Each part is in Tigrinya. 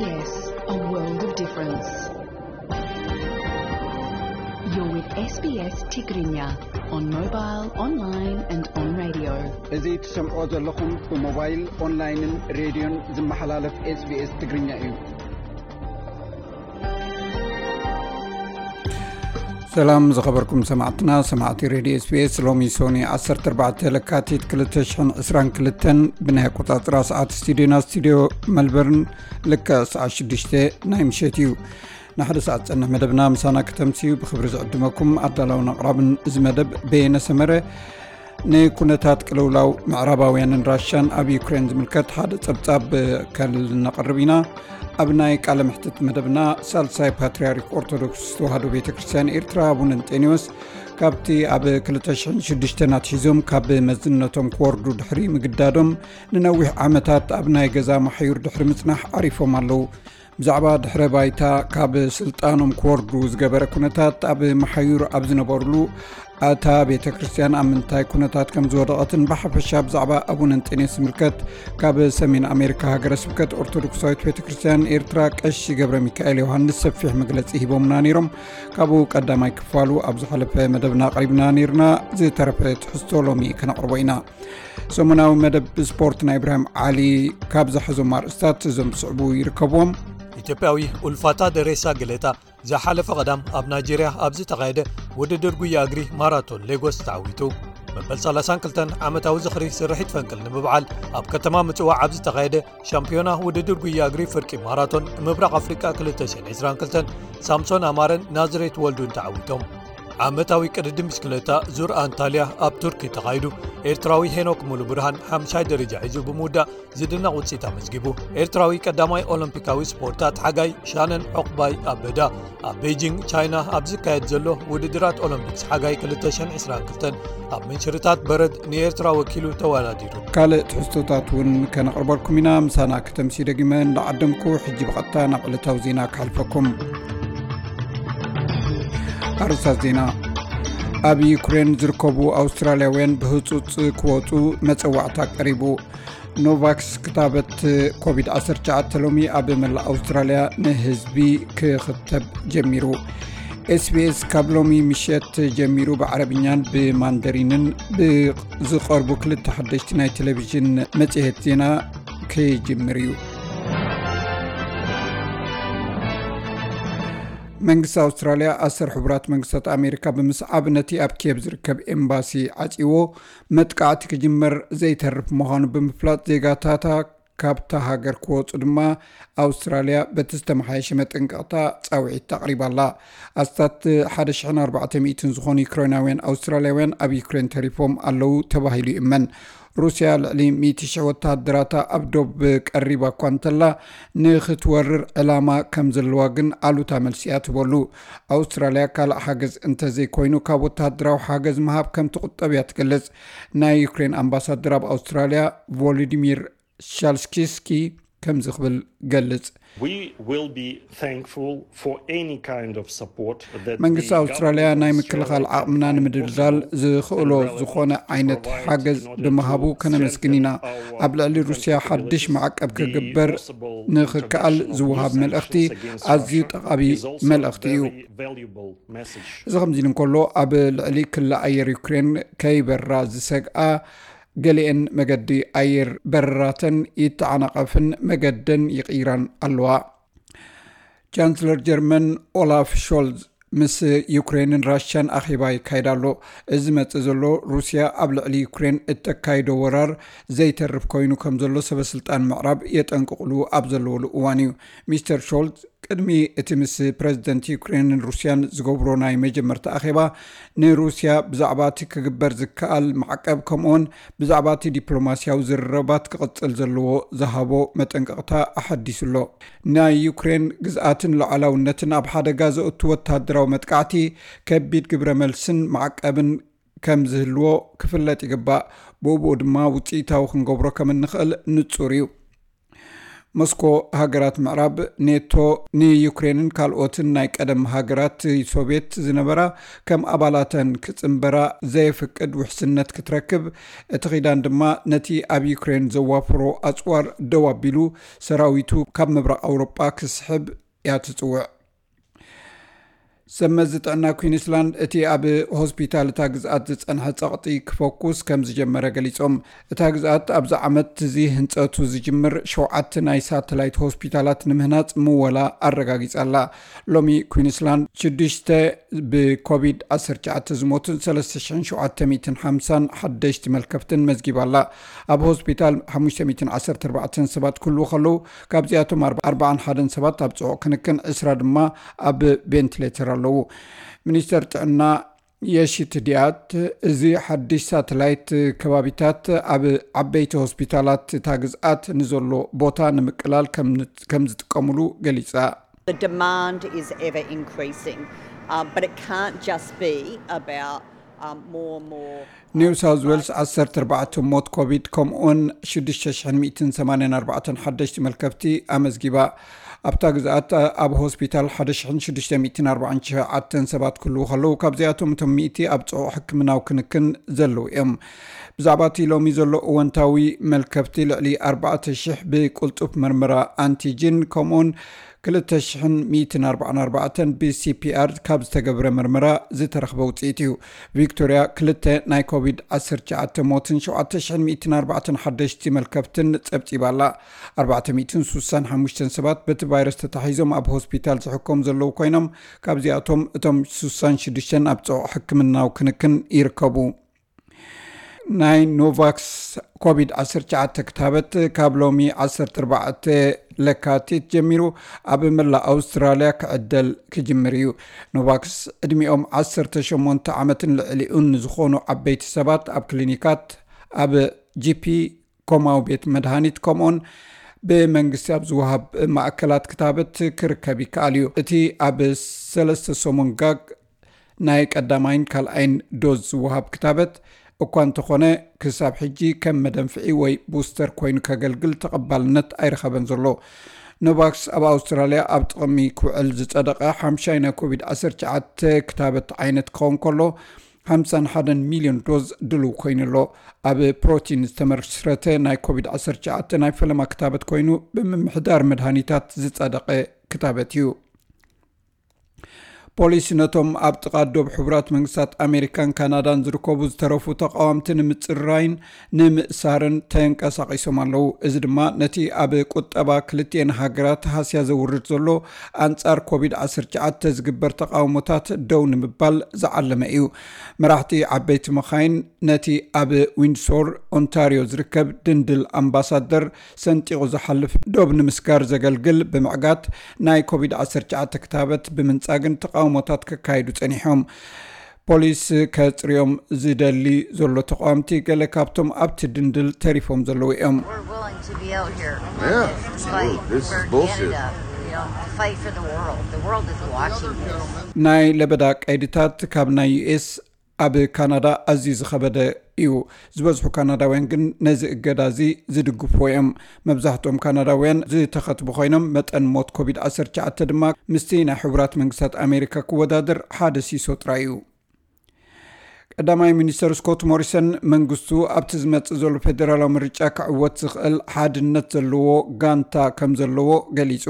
Yes, a world of difference. You're with S B S Tigrinya on mobile, online and on radio. እዚ ትሰምዖ ዘለኹም ብሞባይል፣ ኦንላይንን ሬድዮን ዝመሓላለፍ SBS ትግርኛ እዩ። ሰላም ዝኸበርኩም ሰማዕትና፣ ሰማዕቲ ሬድዮ SBS። ሎሚ ሶኒ ዓሰርተ ኣርባዕተ ለካቲት ክልተ ሽሕን ዕስራን ክልተን ብናይ ኣቆጻጽራ ሰዓት ስቱዲዮና፣ ስቱዲዮ መልበርን፣ ልክዕ ሰዓት ሽዱሽተ ናይ ምሸት እዩ። ንሓደ ሰዓት ዝጸንሕ መደብና ምሳና ከተምስዩ ብኽብሪ ዝዕድመኩም ኣዳላውን ኣቕራብን እዚ መደብ በየነ ሰመረ። ንኩነታት ቅልውላው ምዕራባውያንን ራሻን ኣብ ዩክሬን ዝምልከት ሓደ ጸብጻብ ከነቕርብ ኢና። ኣብ ናይ ቃለ መሕትት መደብና ሳልሳይ ፓትርያርክ ኦርቶዶክስ ተዋህዶ ቤተ ክርስቲያን ኤርትራ ኣቡነ እንጤንዮስ ካብቲ ኣብ ክልተ ሽሕን ሽዱሽተን ኣትሒዞም ካብ መዝነቶም ክወርዱ ድሕሪ ምግዳዶም ንነዊሕ ዓመታት ኣብ ናይ ገዛ ማሕዩር ድሕሪ ምጽናሕ ዓሪፎም ኣለዉ። ብዛዕባ ድሕረ ባይታ ካብ ስልጣኖም ክወርዱ ዝገበረ ኩነታት ኣብ መሓዩር ኣብ ዝነበሩሉ ኣታ ቤተ ክርስቲያን ኣብ ምንታይ ኩነታት ከም ዝወደቐትን ብሓፈሻ ብዛዕባ ኣቡነ እንጤንዮስ ዝምልከት ካብ ሰሜን ኣሜሪካ ሃገረ ስብከት ኦርቶዶክሳዊት ቤተ ክርስቲያን ኤርትራ ቀሺ ገብረ ሚካኤል ዮሃንስ ሰፊሕ መግለጺ ሂቦምና ነይሮም። ካብኡ ቀዳማይ ክፋሉ ኣብ ዝሓለፈ መደብና ኣቕሪብና ነይርና። ዝተረፈ ትሕዝቶ ሎሚ ከነቕርቦ ኢና። ሰሙናዊ መደብ ስፖርት ናይ ኢብራሂም ዓሊ ካብ ዝሓዞም ኣርእስታት እዞም ዝስዕቡ ይርከብዎም። ኢትዮጵያዊ ኡልፋታ ደሬሳ ገሌታ ዝሓለፈ ቀዳም ኣብ ናይጄርያ ኣብ ዝተኻየደ ውድድር ጉያ እግሪ ማራቶን ሌጎስ ተዓዊቱ። መበል ሰላሳን ክልተን ዓመታዊ ዝኽሪ ስርሒት ፈንቅል ንምብዓል ኣብ ከተማ ምጽዋዕ ኣብ ዝተኻየደ ሻምፒዮና ውድድር ጉያ እግሪ ፍርቂ ማራቶን ምብራቕ ኣፍሪቃ ክልተ ሽሕን ዕስራን ክልተን ሳምሶን ኣማረን ናዝሬት ወልዱን ተዓዊቶም። ዓመታዊ ቅድድም ብሽክለታ ዙር ኣንታልያ ኣብ ቱርኪ ተኻይዱ። ኤርትራዊ ሄኖክ ሙሉ ብርሃን ሓምሻይ ደረጃ ሒዙ ብምውዳእ ዝድነቕ ውጽኢት ኣመዝጊቡ። ኤርትራዊ ቀዳማይ ኦሎምፒካዊ ስፖርታት ሓጋይ ሻነን ዑቕባይ ኣበዳ ኣብ ቤጂንግ ቻይና ኣብ ዝካየድ ዘሎ ውድድራት ኦሎምፒክስ ሓጋይ ክልተ ሽሕን ዕስራን ክልተን ኣብ ምንሽርታት በረድ ንኤርትራ ወኪሉ ተወዳዲሩ። ካልእ ትሕዝቶታት እውን ከነቕርበልኩም ኢና። ምሳና ከተምሲ ደጊመ እንዳዓደምኩ ሕጂ ብቐጥታ ናብ ዕለታዊ ዜና ክሓልፈኩም። ኣርእስታት ዜና። ኣብ ዩክሬን ዝርከቡ ኣውስትራልያውያን ብህጹጽ ክወጹ መጸዋዕታ ቀሪቡ። ኖቫክስ ክታበት ኮቪድ ዓሰርተ ትሽዓተ ሎሚ ኣብ መላእ ኣውስትራልያ ንህዝቢ ክኽተብ ጀሚሩ። SBS ካብ ሎሚ ምሸት ጀሚሩ ብዓረብኛን ብማንደሪንን ብዝቐርቡ ክልተ ሓደሽቲ ናይ ቴሌቪዥን መጽሔት ዜና ክጅምር እዩ። መንግስቲ ኣውስትራልያ ኣሰር ሕቡራት መንግስታት ኣሜሪካ ብምስዓብ ነቲ ኣብ ኪየቭ ዝርከብ ኤምባሲ ዓጺዎ መጥቃዕቲ ክጅመር ዘይተርፍ ምዃኑ ብምፍላጥ ዜጋታታ ካብታ ሃገር ክወጹ ድማ ኣውስትራልያ በቲ ዝተመሓየሸ መጠንቀቕታ ጻውዒት ኣቕሪባ ኣላ። ኣስታት ሓደ ሽሕን ኣርባዕተ ሚእትን ዝኾኑ ዩክሬናውያን ኣውስትራልያውያን ኣብ ዩክሬን ተሪፎም ኣለዉ ተባሂሉ ይእመን። ሩስያ ልዕሊ ሚእቲ ሽሕ ወተሃደራታ ኣብ ዶብ ቀሪባ እኳ እንተላ ንኽትወርር ዕላማ ከም ዘለዋ ግን ኣሉታ መልሲ እያ ትበሉ። ኣውስትራልያ ካልእ ሓገዝ እንተዘይኮይኑ ካብ ወተሃደራዊ ሓገዝ ምሃብ ከም ትቑጠብ እያ ትገልጽ። ናይ ዩክሬን ኣምባሳደር ኣብ ኣውስትራልያ ቮሎዲሚር ሻልስኪስኪ ከምዚ ክብል ገልጽ። We will be thankful for any kind of support that መንግስቲ ኣውስትራልያ ናይ ምክልኻል ዓቕምና ንምድልዳል ዝኽእሎ ዝኾነ ዓይነት ሓገዝ ብምሃቡ ከነመስግን ኢና። ኣብ ልዕሊ ሩስያ ሓድሽ ማዕቀብ ክግበር ንኽከኣል ዝወሃብ መልእኽቲ ኣዝዩ ጠቓሚ መልእኽቲ እዩ። እዚ ከምዚ ኢሉ እንከሎ ኣብ ልዕሊ ክሊ ኣየር ዩክሬን ከይበራ ዝሰግኣ ገሊኤን መገዲ ኣየር በረራተን ይተዓናቐፍን መገደን ይቕይራን ኣለዋ። ቻንስለር ጀርመን ኦላፍ ሾልዝ ምስ ዩክሬንን ራሽያን ኣኼባ ይካየድ ኣሎ። እዚ ዝመጽእ ዘሎ ሩስያ ኣብ ልዕሊ ዩክሬን እተካይዶ ወራር ዘይተርፍ ኮይኑ ከም ዘሎ ሰበ ስልጣን ምዕራብ የጠንቅቕሉ ኣብ ዘለወሉ እዋን እዩ። ሚስተር ሾልዝ ቅድሚ እቲ ምስ ፕረዚደንት ዩክሬንን ሩስያን ዝገብሮ ናይ መጀመርታ ኣኼባ ንሩስያ ብዛዕባ እቲ ክግበር ዝከኣል ማዕቀብ ከምኡውን ብዛዕባ እቲ ዲፕሎማስያዊ ዝርርባት ክቕጽል ዘለዎ ዝሃቦ መጠንቀቕታ ኣሐዲሱ ኣሎ። ናይ ዩክሬን ግዝኣትን ሉዓላውነትን ኣብ ሓደጋ ዘእቱ ወተሃደራዊ መጥቃዕቲ ከቢድ ግብረ መልስን ማዕቀብን ከም ዝህልዎ ክፍለጥ ይግባእ። ብኡብኡ ድማ ውጽኢታዊ ክንገብሮ ከም እንኽእል ንጹር እዩ። ሞስኮ፣ ሃገራት ምዕራብ፣ ኔቶ፣ ንዩክሬንን ካልኦትን ናይ ቀደም ሃገራት ሶቪየት ዝነበራ ከም ኣባላተን ክጽንበራ ዘየፍቅድ ውሕስነት ክትረክብ፣ እቲ ኺዳን ድማ ነቲ ኣብ ዩክሬን ዘዋፈሮ ኣጽዋር ደው ኣቢሉ ሰራዊቱ ካብ ምብራቕ ኣውሮጳ ክስሕብ እያ ትጽውዕ። ሰብ መዚ ጥዕና ኩዊንስላንድ እቲ ኣብ ሆስፒታል እታ ግዝኣት ዝጸንሐ ጸቕጢ ክፈኩስ ከም ዝጀመረ ገሊጾም። እታ ግዝኣት ኣብዚ ዓመት እዚ ህንጸቱ ዝጅምር ሸውዓተ ናይ ሳተላይት ሆስፒታላት ንምህናጽ ምወላ ኣረጋጊጻ ኣላ። ሎሚ ኩዊንስላንድ ሽዱሽተ ብኮቪድ ዓሰርተ ትሽዓተ ዝሞቱን ሰለስተ ሽሕን ሸውዓተ ሚእትን ሓምሳን ሓደሽቲ መልከፍትን መዝጊባ ኣላ። ኣብ ሆስፒታል ሓሙሽተ ሚእትን ዓሰርተ ኣርባዕተን ሰባት ክህልዉ ከለዉ፣ ካብዚኣቶም ኣርባ-፣ ኣርባዓን ሓደን ሰባት ኣብ ጽዑቕ ክንክን፣ ዕስራ ድማ ኣብ ቬንቲሌተር ኣለዉ። ሚኒስተር ጥዕና የሺት ዲያት፣ እዚ ሓድሽ ሳተላይት ከባቢታት ኣብ ዓበይቲ ሆስፒታላት እታ ግዝኣት ንዘሎ ቦታ ንምቅላል ከም፣ ከም ዝጥቀሙሉ ገሊጻ። The demand is ever increasing, um, but it can't just be about, um, more and more. ኒው ሳውዝ ዌልስ ዓሰርተ ኣርባዕተ ሞት ኮቪድ ከምኡውን ሽዱሽተ ሽሕን ሚእትን ሰማንያን ኣርባዕተን ሓደሽቲ መልከፍቲ ኣመዝጊባ። ኣብታ ግዝኣት ኣብ ሆስፒታል ሓደ ሽሕን ሽዱሽተ ሚእትን ኣርባዓን ትሽዓተን ሰባት ክህልዉ ከለዉ፣ ካብዚኣቶም እቶም ሚእቲ ኣብ ጽዑቕ ሕክምናዊ ክንክን ዘለዉ እዮም። ብዛዕባ እቲ ሎሚ ዘሎ እወንታዊ መልከፍቲ፣ ልዕሊ ኣርባዕተ ሽሕ ብቅልጡፍ መርመራ ኣንቲጂን ከምኡውን ክልተ ሽሕን ሚእትን ኣርባዓን ኣርባዕተን ብሲፒኣር ካብ ዝተገብረ መርመራ ዝተረኽበ ውፅኢት እዩ። ቪክቶርያ ክልተ ናይ ኮቪድ ዓሰርተ ትሽዓተ ሞትን ሸውዓተ ሽሕን ሚእትን ኣርባዕተን ሓደሽቲ መልከፍትን ጸብጺባ ኣላ። ኣርባዕተ ሚእትን ሱሳን ሓሙሽተን ሰባት በቲ ቫይረስ ተታሒዞም ኣብ ሆስፒታል ዝሕከሙ ዘለዉ ኮይኖም፣ ካብዚኣቶም እቶም ሱሳን ሽዱሽተን ኣብ ጽዑቕ ሕክምናዊ ክንክን ይርከቡ። ናይ ኖቫክስ ኮቪድ ዓሰርተ ትሽዓተ ክታበት ካብ ሎሚ ዓሰርተ ኣርባዕተ ለካቲት ጀሚሩ ኣብ መላእ ኣውስትራልያ ክዕደል ክጅምር እዩ። ኖቫክስ ዕድሚኦም ዓሰርተ ሸሞንተ ዓመትን ልዕሊኡን ንዝኾኑ ዓበይቲ ሰባት ኣብ ክሊኒካት፣ ኣብ ጂፒ፣ ኮማዊ ቤት መድሃኒት ከምኡን ብመንግስቲ ኣብ ዝወሃብ ማእከላት ክታበት ክርከብ ይከኣል እዩ። እቲ ኣብ ሰለስተ ሰሙን ጋግ ናይ ቀዳማይን ካልኣይን ዶዝ ዝወሃብ ክታበት እኳ እንተኾነ፣ ክሳብ ሕጂ ከም መደንፍዒ ወይ ቡስተር ኮይኑ ከገልግል ተቐባልነት ኣይረኸበን ዘሎ። ኖቫክስ ኣብ ኣውስትራልያ ኣብ ጥቕሚ ክውዕል ዝጸደቐ ሓምሻይ ናይ ኮቪድ ዓሰርተ ትሽዓተ ክታበት ዓይነት ክኸውን ከሎ፣ ሓምሳን ሓደን ሚልዮን ዶዝ ድሉው ኮይኑ ኣሎ። ኣብ ፕሮቲን ዝተመስረተ ናይ ኮቪድ ዓሰርተ ትሽዓተ ናይ ፈለማ ክታበት ኮይኑ፣ ብምምሕዳር መድሃኒታት ዝጸደቐ ክታበት እዩ። ፖሊስ ነቶም ኣብ ጥቓ ዶብ ሕቡራት መንግስታት ኣሜሪካን ካናዳን ዝርከቡ ዝተረፉ ተቓወምቲ ንምጽራይን ንምእሳርን ተንቀሳቒሶም ኣለዉ። እዚ ድማ ነቲ ኣብ ቁጠባ ክልቲኤን ሃገራት ሃስያ ዘውርድ ዘሎ ኣንጻር ኮቪድ ዓሰርተ ትሽዓተ ዝግበር ተቓውሞታት ደው ንምባል ዝዓለመ እዩ። መራሕቲ ዓበይቲ መኻይን ነቲ ኣብ ዊንድሶር ኦንታርዮ ዝርከብ ድንድል ኣምባሳደር ሰንጢቑ ዝሓልፍ ዶብ ንምስጋር ዘገልግል ብምዕጋት፣ ናይ ኮቪድ ዓሰርተ ትሽዓተ ክታበት ብምንጻግን ተቓውሞታት ከካይዱ ጸኒሖም። ፖሊስ ከጽርዮም ዝደሊ ዘሎ ተቓወምቲ፣ ገለ ካብቶም ኣብቲ ድንድል ተሪፎም ዘለዉ እዮም። We're willing to be out here Yeah, despite this is we're bullshit. Canada, you know, fight for the world. The world is watching this. ናይ ለበዳ ቀይድታት ካብ ናይ ዩኤስ ኣብ ካናዳ ኣዝዩ ዝኸበደ እዩ። ዝበዝሑ ካናዳውያን ግን ነዚ እገዳ እዚ ዝድግፉ እዮም። መብዛሕትኦም ካናዳውያን ዝተኸትቡ ኮይኖም፣ መጠን ሞት ኮቪድ ዓሰርተ ትሽዓተ ድማ ምስቲ ናይ ሕቡራት መንግስታት ኣሜሪካ ክወዳደር ሓደ ሲሶ ጥራይ እዩ። ቀዳማይ ሚኒስተር ስኮት ሞሪሰን መንግስቱ ኣብቲ ዝመጽእ ዘሎ ፌደራላዊ ምርጫ ክዕወት ዝኽእል ሓድነት ዘለዎ ጋንታ ከም ዘለዎ ገሊጹ።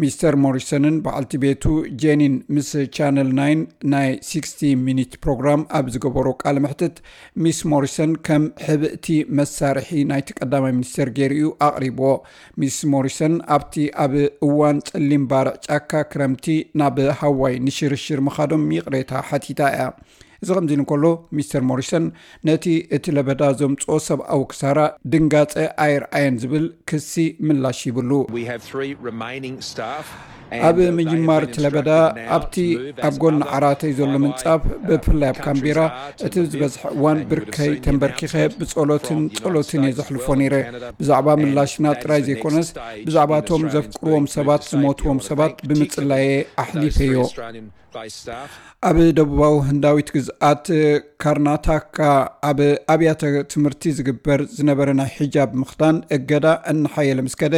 ሚስተር ሞሪሰንን በዓልቲ ቤቱ ጄኒን ምስ ቻነል ናይን ናይ ሲክስቲ ሚኒት ፕሮግራም ኣብ ዝገበሮ ቃለ መሕትት፣ ሚስ ሞሪሰን ከም ሕብእቲ መሳርሒ ናይቲ ቀዳማይ ሚኒስተር ገይሩ እዩ ኣቕሪብዎ። ሚስ ሞሪሰን ኣብቲ ኣብ እዋን ጸሊም ባርዕ ጫካ ክረምቲ ናብ ሃዋይ ንሽርሽር ምኻዶም ይቕሬታ ሓቲታ እያ። እዚ ከምዚ ኢሉ እንከሎ፣ ሚስተር ሞሪሰን ነቲ እቲ ለበዳ ዘምጽኦ ሰብኣዊ ክሳራ ድንጋጸ ኣየርኣየን ዝብል ክሲ ምላሽ ይብሉ። We have three remaining staff. ኣብ ምጅማር እቲ ለበዳ ኣብቲ ኣብ ጎኒ ዓራተይ ዘሎ ምንጻፍ፣ ብፍላይ ኣብ ካምቤራ፣ እቲ ዝበዝሐ እዋን ብርከይ ተንበርኪኸ ብጸሎትን ጸሎትን እየ ዘሕልፎ ነይረ። ብዛዕባ ምላሽና ጥራይ ዘይኮነስ፣ ብዛዕባ እቶም ዘፍቅርዎም ሰባት ዝሞትዎም ሰባት ብምጽላየ ኣሕሊፈዮ። ኣብ ደቡባዊ ህንዳዊት ግዝኣት ካርናታካ፣ ኣብ ኣብያተ ትምህርቲ ዝግበር ዝነበረ ናይ ሒጃብ ምኽዳን እገዳ እናሓየለ ምስ ከደ፣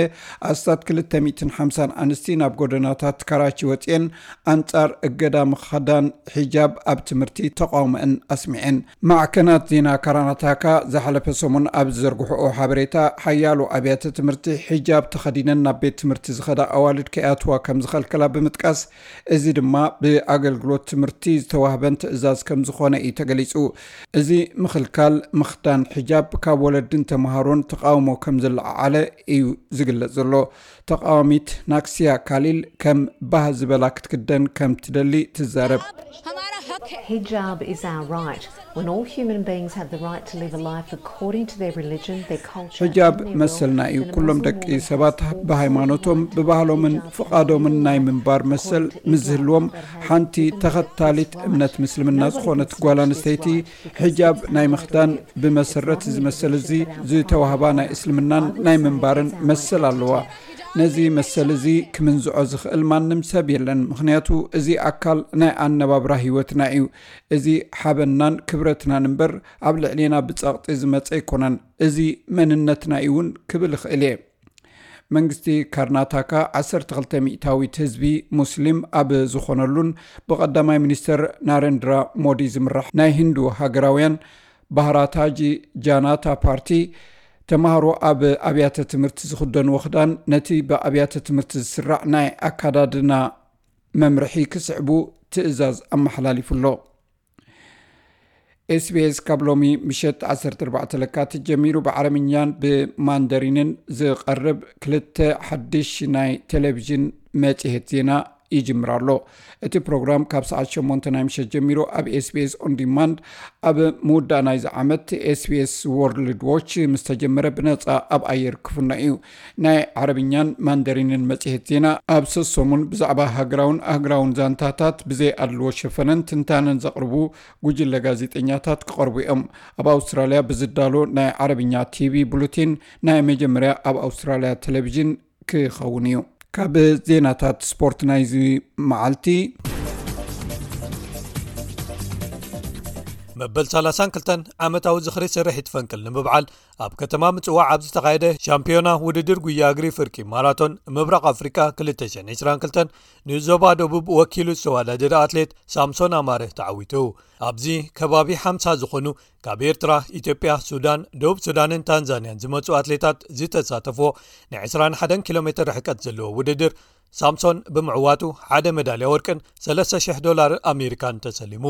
ኣስታት ክልተ ሚእትን ሓምሳን ኣንስቲ ናብ ጎደናታት ካራቺ ወፅየን ኣንጻር እገዳ ምኽዳን ሒጃብ ኣብ ትምህርቲ ተቃውሞአን ኣስሚዐን። ማዕከናት ዜና ካርናታካ ዝሓለፈ ሰሙን ኣብ ዝዘርግሕኦ ሓበሬታ፣ ሓያሎ ኣብያተ ትምህርቲ ሒጃብ ተኸዲነን ናብ ቤት ትምህርቲ ዝኸዳ ኣዋልድ ከይኣትዋ ከም ዝኸልከላ ብምጥቃስ፣ እዚ ድማ ብኣገልግሎት ትምህርቲ ዝተዋህበን ትእዛዝ ከም ዝኾነ እዩ ተገሊጹ። እዚ ምኽልካል ምኽዳን ሒጃብ ካብ ወለድን ተምሃሮን ተቓውሞ ከም ዘለዓዓለ እዩ ዝግለጽ ዘሎ። ተቓዋሚት ናክሲያ ካሊል ከም ባህ ዝበላ ክትክደን ከም ትደሊ ትዛረብ። Hijab is our right. When all human beings have the right to live a life according to their religion, their culture, ሕጃብ መሰልና እዩ። ኩሎም ደቂ ሰባት ብሃይማኖቶም፣ ብባህሎምን ፍቓዶምን ናይ ምንባር መሰል ምስ ዝህልዎም፣ ሓንቲ ተኸታሊት እምነት ምስልምና ዝኾነት ጓል ኣንስተይቲ ሕጃብ ናይ ምኽዳን ብመሰረት እዚ መሰል እዚ ዝተዋህባ ናይ እስልምናን ናይ ምንባርን መሰል ኣለዋ። ነዚ መሰል እዚ ክምንዝዖ ዝኽእል ማንም ሰብ የለን፣ ምኽንያቱ እዚ ኣካል ናይ ኣነባብራ ህይወትና እዩ። እዚ ሓበናን ክብረትናን እምበር ኣብ ልዕሌና ብጸቕጢ ዝመጸ ኣይኮነን። እዚ መንነትና እዩ እውን ክብል እኽእል እየ። መንግስቲ ካርናታካ ዓሰርተ ክልተ ሚእታዊት ህዝቢ ሙስሊም ኣብ ዝኾነሉን ብቐዳማይ ሚኒስተር ናረንድራ ሞዲ ዝምራሕ ናይ ህንዱ ሃገራውያን ባህራታጂ ጃናታ ፓርቲ፣ ተምሃሮ ኣብ ኣብያተ ትምህርቲ ዝኽደንዎ ክዳን ነቲ ብኣብያተ ትምህርቲ ዝስራዕ ናይ ኣካዳድና መምርሒ ክስዕቡ ትእዛዝ ኣመሓላሊፉ ኣሎ። ኤስቢኤስ ካብ ሎሚ ምሸት ዓሰርተ ኣርባዕተ ለካቲት ጀሚሩ ብዓረብኛን ብማንደሪንን ዝቐርብ ክልተ ሓድሽ ናይ ቴሌቪዥን መጽሔት ዜና ይጅምር ኣሎ። እቲ ፕሮግራም ካብ ሰዓት ሸሞንተ ናይ ምሸት ጀሚሩ ኣብ ኤስቢኤስ ኦን ዲማንድ፣ ኣብ ምውዳእ ናይዚ ዓመት ኤስቢኤስ ወርልድ ዎች ምስ ተጀመረ ብነጻ ኣብ ኣየር ክፍኖ እዩ። ናይ ዓረብኛን ማንደሪንን መጽሔት ዜና ኣብ ሰሰሙን ብዛዕባ ሃገራውን ኣህጉራውን ዛንታታት ብዘይ ኣድልዎ ሸፈነን ትንታነን ዘቕርቡ ጉጅለ ጋዜጠኛታት ክቐርቡ እዮም። ኣብ ኣውስትራልያ ብዝዳሎ ናይ ዓረብኛ ቲቪ ቡሉቲን ናይ መጀመርያ ኣብ ኣውስትራልያ ቴሌቪዥን ክኸውን እዩ። ካብ ዜናታት ስፖርት ናይዚ መዓልቲ፣ መበል ሰላሳን ክልተን ዓመታዊ ዝኽሪ ስርሒት ፈንቅል ንምብዓል ኣብ ከተማ ምጽዋዕ ኣብ ዝተኻየደ ሻምፒዮና ውድድር ጉያ እግሪ ፍርቂ ማራቶን ምብራቕ ኣፍሪቃ ክልተ ሽሕን ዕስራን ክልተን ንዞባ ደቡብ ወኪሉ ዝተወዳደረ ኣትሌት ሳምሶን ኣማረ ተዓዊቱ። ኣብዚ ከባቢ ሓምሳ ዝኾኑ ካብ ኤርትራ፣ ኢትዮጵያ፣ ሱዳን፣ ደቡብ ሱዳንን ታንዛንያን ዝመጹ ኣትሌታት ዝተሳተፍዎ ናይ ዕስራን ሓደን ኪሎ ሜትር ርሕቀት ዘለዎ ውድድር ሳምሶን ብምዕዋቱ ሓደ መዳልያ ወርቅን ሰለስተ ሽሕ ዶላር ኣሜሪካን ተሰሊሙ።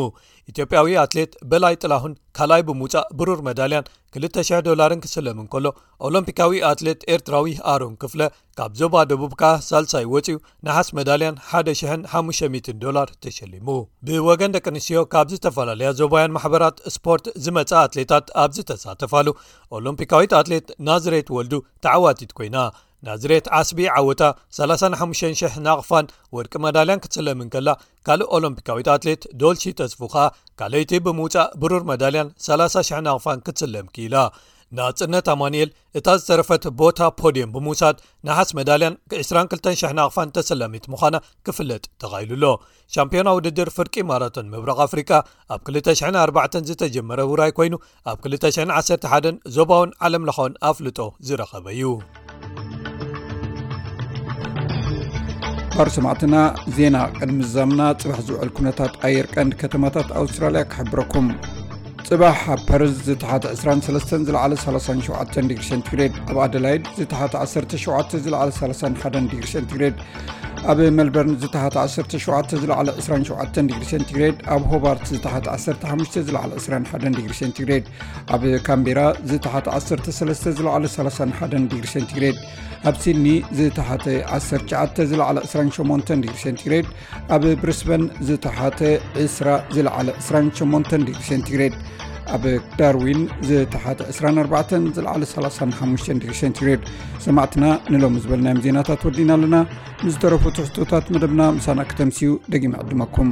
ኢትዮጵያዊ ኣትሌት በላይ ጥላሁን ካልኣይ ብምውጻእ ብሩር መዳልያን ክልተ ሽሕ ዶላርን ክስለም እንከሎ፣ ኦሎምፒካዊ ኣትሌት ኤርትራዊ ኣሮን ክፍለ ካብ ዞባ ደቡብ ከኣ ሳልሳይ ወጺኡ ነሓስ መዳልያን ሓደ ሽሕን ሓሙሽተ ሚእትን ዶላር ተሸሊሙ። ብወገን ደቂ ኣንስትዮ ካብ ዝተፈላለያ ዞባውያን ማሕበራት ስፖርት ዝመጻ ኣትሌታት ኣብ ዝተሳተፋሉ፣ ኦሎምፒካዊት ኣትሌት ናዝሬት ወልዱ ተዓዋቲት ኮይና። ናዝሬት ዓስቢ ዓወታ ሰላሳን ሓሙሽተን ሽሕ ናቕፋን ወርቂ መዳልያን ክትስለም እንከላ፣ ካልእ ኦሎምፒካዊት ኣትሌት ዶልሺ ተስፉ ከኣ ካልኣይቲ ብምውጻእ ብሩር መዳልያን ሰላሳ ሽሕ ናቕፋን ክትስለም ክኢላ። ናጽነት ኣማኑኤል እታ ዝተረፈት ቦታ ፖድየም ብምውሳድ ነሓስ መዳልያን ዕስራን ክልተን ሽሕ ናቕፋን ተሰላሚት ምዃና ክፍለጥ ተኻኢሉ ኣሎ። ሻምፒዮና ውድድር ፍርቂ ማራቶን ምብራቕ ኣፍሪቃ ኣብ ክልተ ሽሕን ኣርባዕተን ዝተጀመረ ውራይ ኮይኑ፣ ኣብ ክልተ ሽሕን ዓሰርተ ሓደን ዞባውን ዓለም ለኻውን ኣፍልጦ ዝረኸበ እዩ። ባር ሰማዕትና፣ ዜና ቅድሚ ዛምና ጽባሕ ዝውዕል ኩነታት ኣየር ቀንዲ ከተማታት ኣውስትራልያ ክሕብረኩም። ጽባሕ ኣብ ፐርዝ ዝተሓተ ዕስራን ሰለስተን ዝለዓለ ሰላሳን ሸውዓተን ዲግሪ ሴንቲግሬድ፣ ኣብ ኣደላይድ ዝተሓተ ዓሰርተ ሸውዓተ ዝለዓለ ሰላሳን ሓደን ዲግሪ ሴንቲግሬድ፣ ኣብ ሜልበርን ዝተሓተ ዓሰርተ ሸውዓተ ዝለዓለ ዕስራን ሸውዓተን ዲግሪ ሴንቲግሬድ፣ ኣብ ሆባርት ዝተሓተ ዓሰርተ ሓሙሽተ ዝለዓለ ዕስራን ሓደን ዲግሪ ሴንቲግሬድ፣ ኣብ ካምቤራ ዝተሓተ ዓሰርተ ሰለስተ ዝለዓለ ሰላሳን ሓደን ዲግሪ ሴንቲግሬድ፣ ኣብ ሲድኒ ዝተሓተ ዓሰርተ ትሽዓተ ዝለዓለ ዕስራን ሸሞንተን ዲግሪ ሴንቲግሬድ፣ ኣብ ብሪስበን ዝተሓተ ዕስራ ዝለዓለ ዕስራን ሸሞንተን ዲግሪ ሴንቲግሬድ፣ ኣብ ዳርዊን ዝተሓተ ዕስራን ኣርባዕተን፣ ዝለዓለ ሰላሳን ሓሙሽተን ዲግሪ ሴንቲግሬድ። ሰማዕትና፣ ንሎሚ ዝበልናዮም ዜናታት ወዲና ኣለና። ንዝተረፉ ትሕዝቶታት መደብና ምሳና ክተምስዩ ደጊመ ዕድመኩም።